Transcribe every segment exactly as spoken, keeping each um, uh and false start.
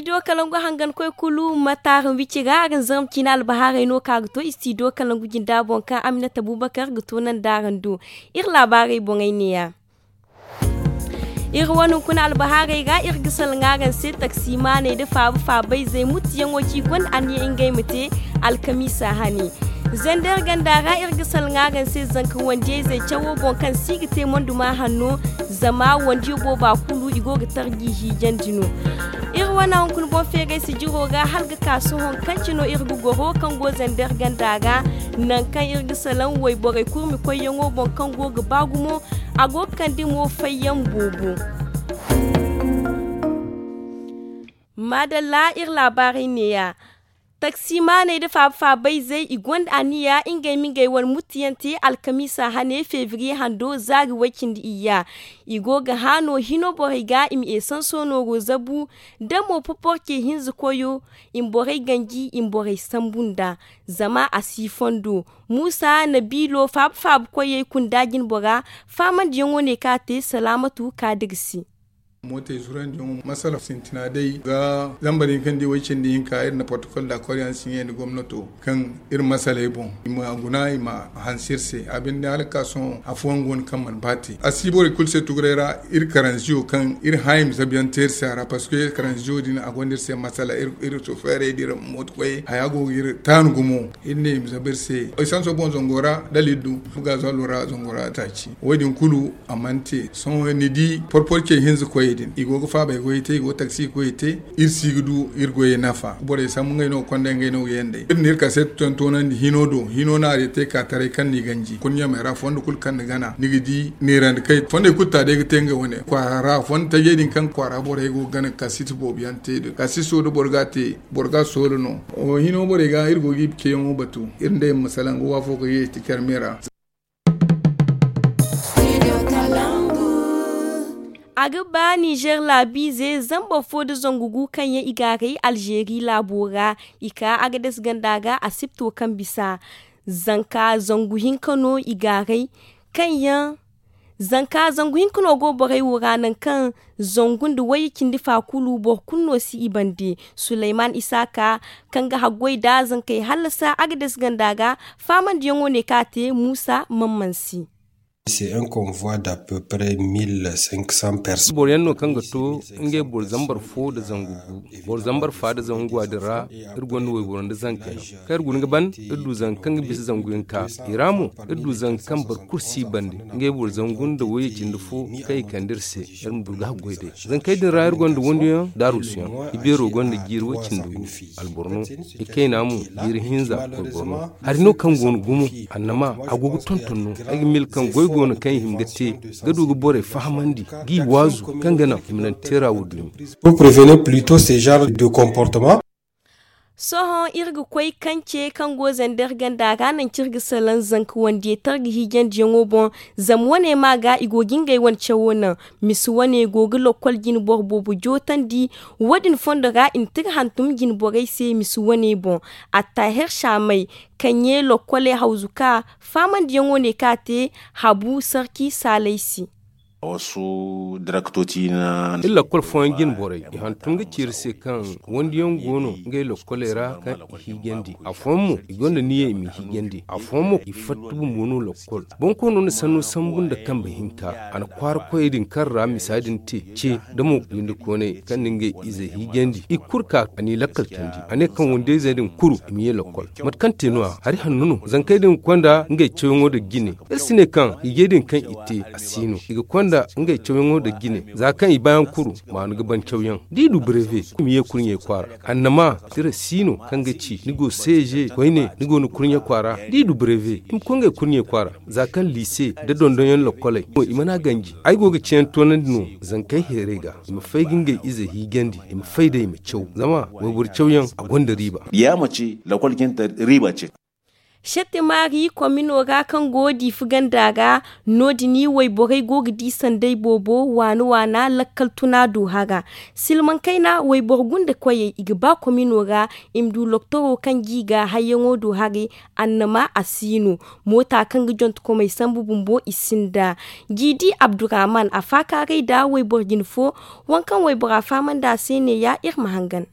Istidiyo kalangu hangan koy kulu mataara wici ga araŋ zarma ciina albahaarey no ka ga to istidiyo kalangu jinda boŋ kaŋ aminata bubakar ga to naŋ da araŋ do. Iri laabaarey boŋey neeya. Iri wane hunkuna albahaarey ga iri ga salaŋ araŋ se taksimaaney nda faaba faabayzey mutiyaŋo kaŋ i gonda anniya ngey ma te alkamiisa hane. Zandar ganda ra iri ga salaŋ araŋ se zanka wandiyayzey cawo boŋ kaŋ si ga te monduma hanno. Zama wandiyo booba kulu i go ga tarji hiijandi no. Iri wane hunkuna boŋ feeray sijiro ra hala ga ka sohõ kaŋ cino iri ga goro kaŋ go zandar ganda ra. Nangu kaŋ iri ga salaŋ wayborey kurmi koyyaŋo boŋ kaŋ go ga ba gumo. A go ga kande mo fayyaŋ boobo. Maadalla iri laabaarey neeya. Taksimaaney nda faaba-faabayzey i gonda anniya ngey ma ngey wane mutiyaŋ te alkamiisa hane febriye hando zaari way-cindi iyya. I go ga hã no hino borey ga i ma esanso nooro zabu. Da mo poporce hinza koyo i ma borey ganji i ma borey sambu nd'a. Zama a si fondo muusa nabiilo faaba-faaba koyey kunda jinbora. Faamandiyaŋo ne kaŋ a te salaamatu kaadir se. Mootey zurandiyaŋo masala sintina day ga zambar hinka nda way-cindi hinka iri na portokol daakor yaŋ siɲe nda gomnato kaŋ iri masaley boŋ i ma guna i ma hanse iri se a binde hala ga ka sohõ afooyaŋ go no kaŋ mana ba te a si borey kulu se tuguray ra. Iri karanziyo kaŋ iri hã i ma zabu yaŋ te iri se a ra parceque karanziyo din a gonda iri se masala iri sofeerey da iri mooto koyey haya go ga iri taanu gumo. Iri ne i ma zabu iri se esanso boŋ zango ra dala iri du fu gaazuwalo ra zango ra taaci wo- din kulu a mana te. Sohõ ni di porporce hinza koyey din i go ga faabay goyey te i go ga taksi koyey te. Iri si ga du iri goyey nafa borey sambu ngey no ga konda ngey no ga yandey iri na iri kaseeti tontonandi hino do hino no a day te ka taray kaŋ ni ganji kulu ɲamey ra fondo kulu kaŋ ni gana ni ga di neerandi kay fondey kulu ta day ga te ngey wane kwaara ra fondo tajey din kaŋ kwaara borey go ga gana ga kasiti boobo yaŋ te da kasiso da boro ga a te boro ga a soola no. Hino borey ga iri go ga i ceyaŋo batu iri nd'ey ma salaŋ ga waafo ga yeeti care me ra. A ga ba nizer laabiize zambar fo nda zangu gu kaŋ yaŋ i gaaray alzeeri laabo ra. I ka agades ganda ga asipto kaŋ bisa zanka zangu hinka no i gaaray kaŋ yaŋ zanka zangu hinka no go borey wo ra nangu kaŋ zangu nda wayye cindi fa kulu boro kulu no si i bande. Suleyman isaaka kaŋ ga haggoy nda zankey hallasa agades ganda ga faamandiyaŋo ne kaŋ a te muusa mamman se. Boro yaŋ no kaŋ ga to ngey boro zambar fo nda zangu gu boro zambar fa nda zangu a din ra. Iri gonda wayboro nda zankey kaŋ iri guna ga ban iri du zanka kaŋ ga bisa zangu yaŋ ka i ra mo iri du zanka kaŋ boro kulu si bande ngey boro zangu nda wayye cindi fo kaŋ i kande iri se. Iri ma du ga haggoy day zankey din ra iri gonda wandiyaŋ nda aruusuyaŋ i beero gonda jiiri way cindi gu alboro no. I kayna mo jiiri hinza koy boro no. Hari no kaŋ go no gumo annama a go ga tonton no. Ay ga mil kaŋ goy go no kaŋ i hima ga te ga du ga borey fahamandi g'i waazu kaŋ ga naŋ i ma naŋ teera wo dumi. Sohõ iri ga koy kance kaŋ go zander ganda ra naŋ kaŋ iri ga salaŋ zanka wandiyey targa hiijandiyaŋo boŋ. Zama wane ma ga i go ga ngey wane cawo naŋ. Misi wane go ga lokkol jine boro boobo jootandi. Wo- din fondo ra i na tira hantum jine borey se misi wane boŋ. Attaher saamay kaŋ ye lokkoley hawzu ka faamandiyaŋo ne kaŋ a te habu sarki saalay se. Iri lakkol fooyaŋ jine borey i hantum ga ci iri se kaŋ wandiyaŋ go no ngey lokkoley ra kaŋ i hiijandi afooyaŋ mo i gonda niyyey i ma hiijandi afooyaŋ mo i fatta bumbo no lokkol. Bonkoono na sanno sambu nda kambe hinka a na kwaara koyey din kaŋ ra misa din te ce da mo windi kooney kaŋ na ngey ize hiijandi i kulu ka a n'i lakkal tandi a ne kaŋ wandiyayzey din kulu i ma ye lokkol. Mate kaŋ te no- ya hari hanno no zankey din ga konda ngey cawyaŋo nda jine. Iri si ne kaŋ hiijay din kaŋ i te a si no i ga konda ngey cawyaŋo nda jine. Za kaŋ i baayaŋ kuru maanu ga ban cawyaŋ da i du breve i ma ye kurɲey kwaara. Annama tira si no kaŋ ga ci ni go seeje koyne ni go ni kurɲe kwaara da i du breve i ma koy ngey kurɲey kwaara. Za kaŋ liise nda dondonyaŋ lokkoley mo i mana ganji ay go ga ceeyaŋ toonandi no. Zankey heerey ga i ma fay ga ngey ize hiijandi i ma fay day i ma caw zama wayboro cawyaŋ a gonda riiba. Yaama ce lakkol jante riiba ce. Sette maari komino ra kaŋ go diifa ganda ra no- din wayborey go ga di sanday boobo waana waana lakkal tuna do hara. Silmaŋ kayna wayboro gunda koyey i ga ba komino ra i ma du loktoro kaŋ g'i ga hayyaŋo do haray. Annama a si no moota kaŋ ga jontokomey sambu bumbo i sinda. G'i di abdurrahman a faakaaray nda wayboro jine fo. Waŋ kaŋ waybora fahamandi a se neeya iri ma hangan.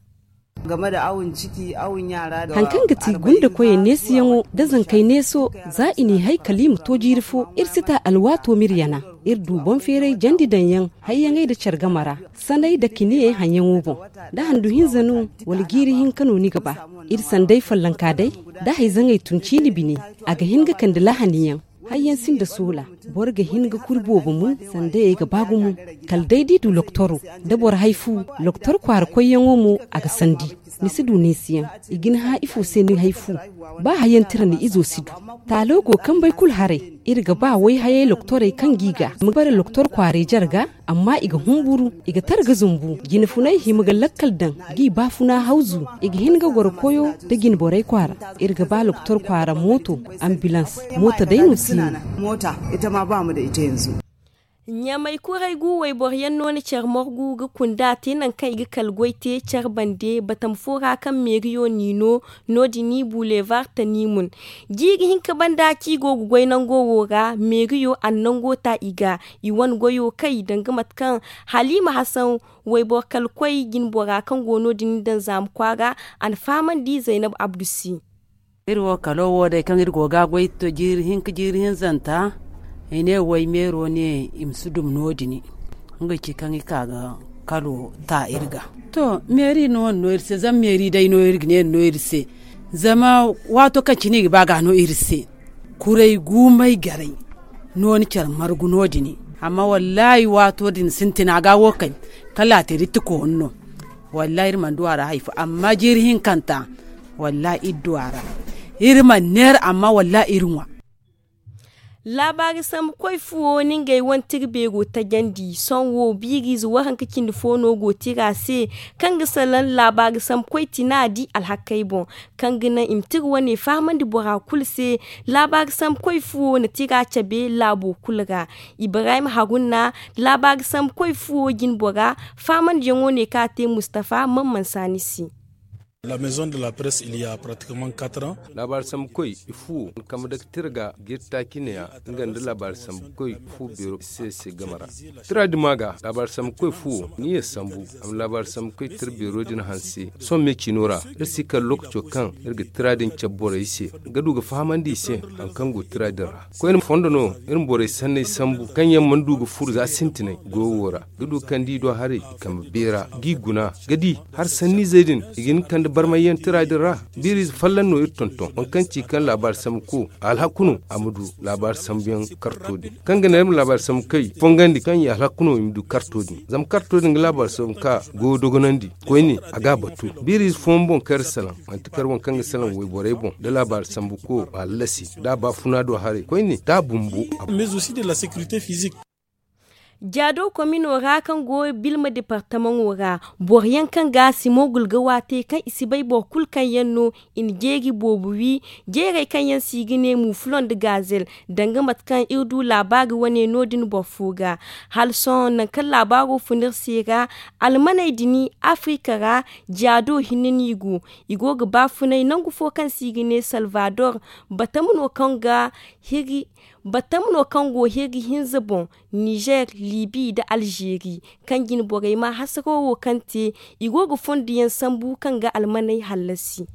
Haŋ kaŋ ga ti gunda koyey neesiyaŋo nda zankey neeso, za i n'i hay kala i ma to jiiri fo, iri si ta alwaato m'iri yana. Iri du boŋ feeray jandi daŋ yaŋ hayyaŋey nda care game ra, sanay nda kiniyaŋ haŋyaŋo boŋ. Da handu hinza no, wala jiiri hinka no ni ga ba, iri sanday follonka day, da hayzaŋey tun ciini bine, a ga hin ga kande lahaniyaŋ. Hayyaŋ sinda soola, boro ga hin ga kuri boobo mun, sandayey ga ba gumo. Kala day d'i du loktoro, da boro hay fu, loktor kwaara koyyaŋo mo, a ga sandi. Ni si du neesiyaŋ, i ga ni hã ifo se ni hay fu. Ba hayyaŋ tira ni izo si du. Taalo go kambey kulu haray. Iri ga ba wayhayey loktorey kaŋ g'i ga ma bare loktor kwaarey jarga, amma i ga humburu, i ga tara ga zumbu. Jine funay hima ga lakkal daŋ, g'i baafuna hawzu. I ga hin ga goro koyo nda jine borey kwaara. Iri ga ba loktor kwaara mooto, ambilans, moota day no si no. Ɲamay kuray gu wayboro yaŋ no na care morgu ga kunda te nangu kaŋ i ga kala goy te care bande batama fo ra kaŋ meeriyo n'i no. No- din bulevar tanimun. Jiiri hinka banda kaŋ i go ga goy nango wo ra meeriyo a na nango ta i ga. I wane goyo kay danga mate kaŋ halima hasan wayboro kala koy jine bora kaŋ go no- din daŋ zaama kwaara. A na fahamandi zaynab abdu se. Iri wo kalo wo day kaŋ iri go ga a goy jiiri hinka jiiri hinzanta. I ne way meero ne i ma si dum no- din. Nga ci kaŋ i ka ga kalo ta iri ga. To meeri no wane no iri se zama meeri day no iri ga ne no iri se. Zama waato kaŋ cine i ga ba ga no iri se. Kuray guumay garay no ni care margu no- din. Amma wallahi waato din sintina ga wo kay kala a te ritti koonu no. Wallahi iri mana du a ra hari fo amma jiiri hinkanta. Wallahi iri du a ra. Iri mana neera amma wallahi iri ŋwa. Laabaari sambu koy fuwo no ngey wane tira beero tajandi sohõ wo biiriize waranka cindi fo no go tira se. Kaŋ ga salaŋ laabaari sambu koy tina di alhakey boŋ kaŋ ga naŋ i ma tira wane fahamandi bora kulu se. Laabaari sambu koy fuwo na tira cabe laabo kulu ra. Ibrahim haruna. Laabaari sambu koy fuwo jine bora. Fahamandiyaŋo ne kaŋ a te mustafa man mansa ni se. Laabaari sambu koy i fuwo kambe daga tira ga ga iri taaci neeya. Nga nda laabaari sambu koy fu beero se se game ra. Tira din ma ga laabaari sambu koy fuwo ni ye sambu a ma laabaari sambu koy tira beero din hanse. Sohõ me ciino ra iri si kala lookaco kaŋ iri ga tira din cabe borey se ga du ga fahamandi i se. Hari kaŋ go tira din ra koyne fondo no iri ma borey sanney sambu kaŋ yaŋ mana du ga furo za sintinay goyo wo ra ga du kaŋ da i do haray i kambe beera g'i guna ga di. Hari sanniizey din i ga hin ga kande barmayyaŋ tira din ra. Biiriize folloŋ no iri tonton waŋ kaŋ ci kaŋ laabaari sambu ko alhaku no a ma du laabaari sambuyaŋ karto din kaŋ ga naŋ iri ma laabaari sambu kay fongandi kaŋ i alhaku no i ma du karto din zama karto din ga laabaari sambu ka goyo dogonandi. Koyne a ga a batu biiriize fooyaŋ boŋ kaŋ iri salaŋ manti kar waŋ kaŋ ga salaŋ wayborey boŋ da laabaari sambu ko a lallasi da a baafuna do haray koyne da a bumbo. Jaado komino ra kaŋ go bilma departamaŋo ra boro yaŋ kaŋ ga simo gulga waate kaŋ i si bay boro kulu kaŋ yaŋ no i na jeeri boobo wi. Jeerey kaŋ yaŋ se i ga ne mufuloŋ nda gaazel danga mate kaŋ iri du laabaari wane no- din boro fo ga. Hala sohõ nangu kaŋ laabaaro fun iri se ra almaney din afirika ra jaado hinne no i go. I go ga baafunay nangu fo kaŋ se i ga ne salvador. Batama no kaŋ ga hiri batama no kaŋ go hiri hinza boŋ nizer libi nda alzeeri kaŋ jine borey ma hasaro wo kaŋ te. I go ga fondo yaŋ sambu kaŋ ga almaney hallasi.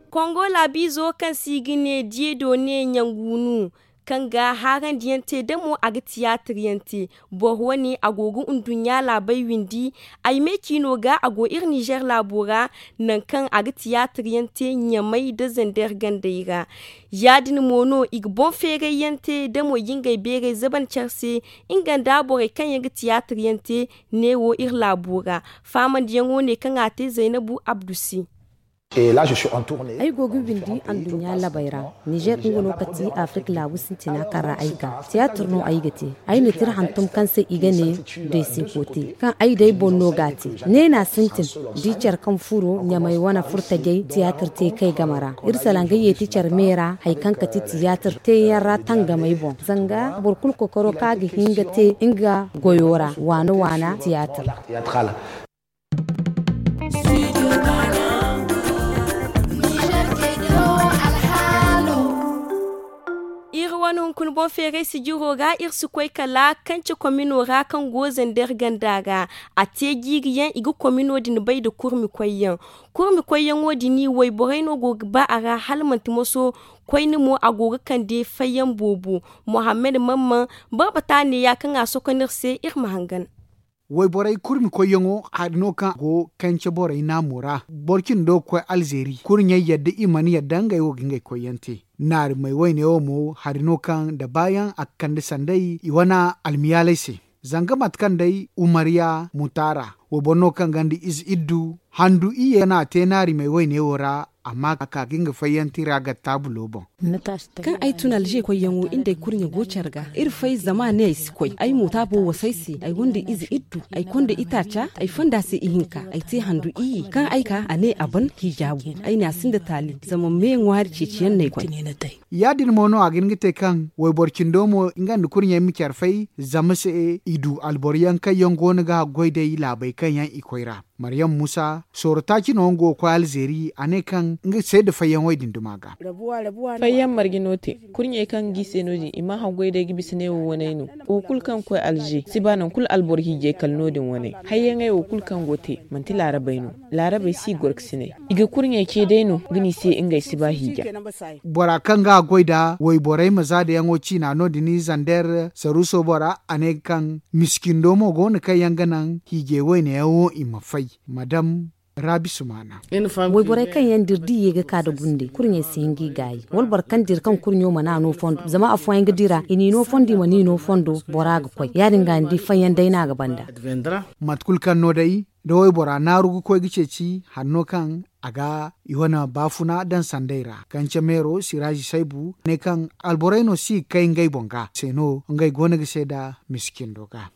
Kongo laabiizo kaŋ se i ga ne diyedo ne ɲanguunu kaŋ ga haarandi yaŋ te damo a ga tiyaatir yaŋ te. Boro wane a go ga nduɲɲa laabey windi. Ay me ciino ga a go iri nizer laabo ra nangu kaŋ a ga tiyaatir yaŋ te ɲamey nda zander gandey ra. Ya- din mo no i ga boŋ feeray yaŋ te damo i ga ngey beerey zaban care se. Nga nda borey kaŋ yaŋ ga tiyaatir yaŋ te neewo iri laabo ra. Faamandiyaŋo ne kaŋ a te zaynabu abdu se. Ay go ga windi anduɲɲa labey ra. Nizer nga no kati afirika laabu sintina kaŋ ra ay ga tiyaatir no ay ga te. Ay na tira hantum kaŋ se i ga ne deesekote kaŋ ay day boŋ no ga a te. Neena sintin da i care kaŋ furo ɲamey wane furtajey tiyaatir te kay game ra. Iri salaŋ ga yeeti care me ra hari kaŋ kati tiyaatir teeyaŋ ra tangamey boŋ zanga boro kulu kokoro kaŋ a ga hin ga te nga goyo ra waana waana tiyaatir. Iri wane hunkuna Boŋ feeray sijiro ra iri si koy kala kance komino ra kaŋ go zandeer ganda ra. A te jiiri yaŋ i ga komino din bay nda kurmi koy yaŋ. Kurmi koy yaŋo din wayborey no go ga ba a ra hala manti moso. Koyne mo a go ga kande fayyaŋ boobo. Mohammed mamman barbata neeya kaŋ a sokonda iri se iri ma hangan. Wayborey kurmi koyyaŋo hari no kaŋ a go kance borey naamo ra boro cindi do ga koy alzeeri kurɲey yadda i mana yadda ngey wo ga ngey koyyaŋ te. Naarimey woyne wo mo hari no kaŋ nda baayaŋ a ga kande sanday i wane almiyaaley se. Zanga mate kaŋ day umariya mutaara wayboro no kaŋ gonda ize iddu handu iyye no a te naarimey woyne wo ra. Amma a ka ga nga fayyaŋ tira ga taabulo boŋ. Kaŋ ay tun alze koyyaŋo in day kurɲe go care ga iri fay zama ne ay si koy ay mo taabo wasa ay se ay gonda ize iddu ay konda itaaca ay fonda se ihinka ay te handu iyye kaŋ ay ka a ne a ban hijaabu. Ay ne a sinda taali zama me ŋwaari ceeciyaŋ no ay koy. Ya- din mo no a ga hin ga te kaŋ wayboro cindo mo nga nda kurɲey ma care fay zama se i du alboro yaŋ kaŋ yaŋ go no ga goy day laabey kaŋ yaŋ i koy ra. Maryam muusa sooro taaci no nga go ga koy alzeeri a ne kaŋ nga seeda fayyaŋo din duma ga. Fayyaŋ marje no te kurɲey kaŋ ga i se no- din i mana haggoy day ga bisa ne wo waney no. Wo kulu kaŋ ga koy alze si ba nangu kulu alboro hiijay kala no- din waney. Hayyaŋey wo kulu kaŋ go te manti laarabey no. Laarabey si goro ga sinay i ga kurɲey ce day no ga ne i se ngey si ba hiija. Bora kaŋ ga a goy nda wayborey ma zaadayaŋo ciina no- din zandeer saruuso bora a ne kaŋ miskindo mo go no kaŋ yaŋ ga naŋ hiijay wayne yaŋ wo i ma fay. Madam raabi sumaana. Wayborey kaŋ yaŋ dira da i ye ga ka nda gunde kurɲey si hin ga i gaayi wala boro kaŋ dira kaŋ kurɲo mana no fondo zama afooyaŋ ga dira i n'i no fondo i mana i no fondo bora ga koy ya- din ga ni di fayyaŋ day no a ga banda. Mate kulu kaŋ no day da waybora naaru ga koy ga ceeci hanno kaŋ a ga i wane baafuna daŋ sanday ra kance meero siraazi saybu ne kaŋ alborey no si ga kay ngey boŋ ga se no ngey go no ga seeda miskindo ga.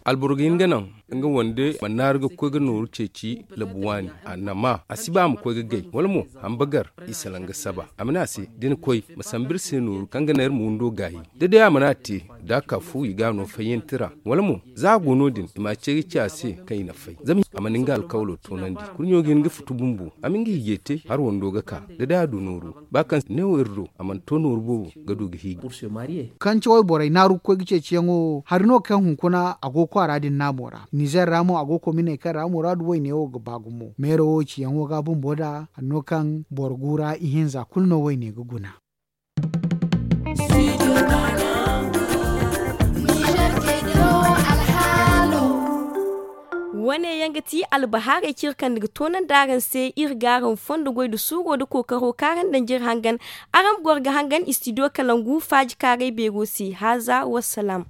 Alboro ga hin ga naŋ nga wande ma naaru ga koy ga nooru ceeci labu waani a nama a si ba a ma koy ga gay wala mo hamba gar i salaŋ ga saba a ma ne a se da ni koy ma sambu iri se nooru kaŋ ga naŋ iri ma windo gaayi. Da day a mana te da a ka fu i ga a no fayyantira wala mo za a go no- din i ma a ce ga ci a se kaŋ i na fay zama a mana nga alkawalo toonandi. Kurɲo ga hin ga futu bumbo a ma nga hiijay te har wando ga ka da day a du nooru ba kaŋ neewo iri do a mana to nooru boobo ga du ga hiiji. Kaŋ cawey borey naaru ga koy ga ceeciyaŋo hari no kaŋ hunkuna a go kwaara din naamo ra nizer ra mo a go kominey kaŋ ra muraadu wayne wo ga ba gumo meero wo ciyaŋo ga bumbo nd'a hari no kaŋ boro guura ihinza kulu no wayne ga guna. Wane yaŋ ga ti albahaarey kaŋ iri kande ga toonandi araŋ se iri ga araŋ fondo goy nda suuro nda kookaro kaŋ araŋ daŋ jiri hangan. Araŋ ma goro ga hangan istidiyo kalangu faaji kaaray beero se haaza wassalaam.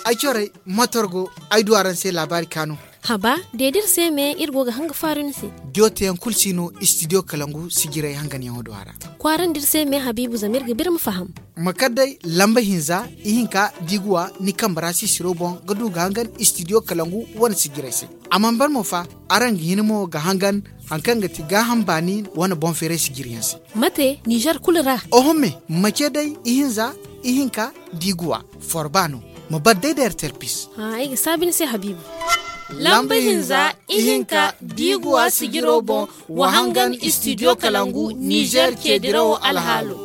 Ay corey motor go ay du araŋ se laabaari kaanu. Haba de da iri se me iri go ga hanga faaru ni se. Diyo teyaŋ kulu si no istidiyo kalangu sijirey hanganyaŋo do a ra. Kwaarandi iri se me habiibu zama iri ga biri ma faham. Ma kar day lamba hinza ihinka diiguwa ni kambe ra sisiro boŋ ga du ga hangan istidiyo kalangu wane sijirey se. A mana ban mo fa araŋ ga hin mo ga hangan hari kaŋ ga ti gaaham baani wane boŋ feeray sijiriyaŋ se. Mate nizer kulu ra. Oho me ma ce day ihinza ihinka diiguwa forba no ma bar day da ertel pis. Ay ga saabi ni se habiibu. Lamba hinza ihinka diiguwa sijiro boŋ wa hangan istidiyo kalangu nizer ceedirawo alhaalo.